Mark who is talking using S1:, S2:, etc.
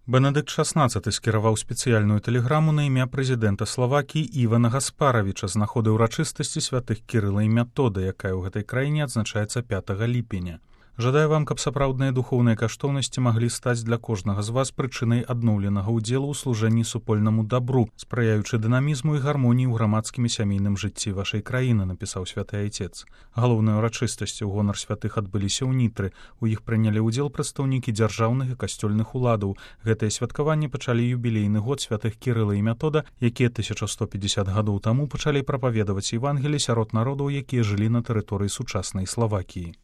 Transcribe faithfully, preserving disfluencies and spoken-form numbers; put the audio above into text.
S1: Бенедыкт шаснаццаты скіраваў спецыяльную тэлеграму на імя прэзідэнта Славакіі Івана Гаспаравіча з нагоды ўрачыстасці святых Кірыла і Мятода, якая ў гэтай краіне адзначаецца пятага ліпеня. Жадаю вам, каб сапраўдныя духоўныя каштоўнасці маглі стаць для кожнага з вас прычынай адноўленага ўдзелу ў служэнні супольнаму дабру, спрыяючы дынамізму і гармоніі ў грамадскім і сямейным жыцці вашай краіны, напісаў святы айцец. Галоўныя ўрачыстасці ў гонар святых адбыліся ў Нітры. У іх прынялі ўдзел прадстаўнікі дзяржаўных і касцёльных уладаў. Гэтае святкаванне пачалі юбілейны год святых Кірыла і Мятода, якія тысяча сто пятьдесят гадоў таму пачалі прапаведаваць Евангелі сярод народаў, якія жылі на тэрыторыі сучаснай Славакіі.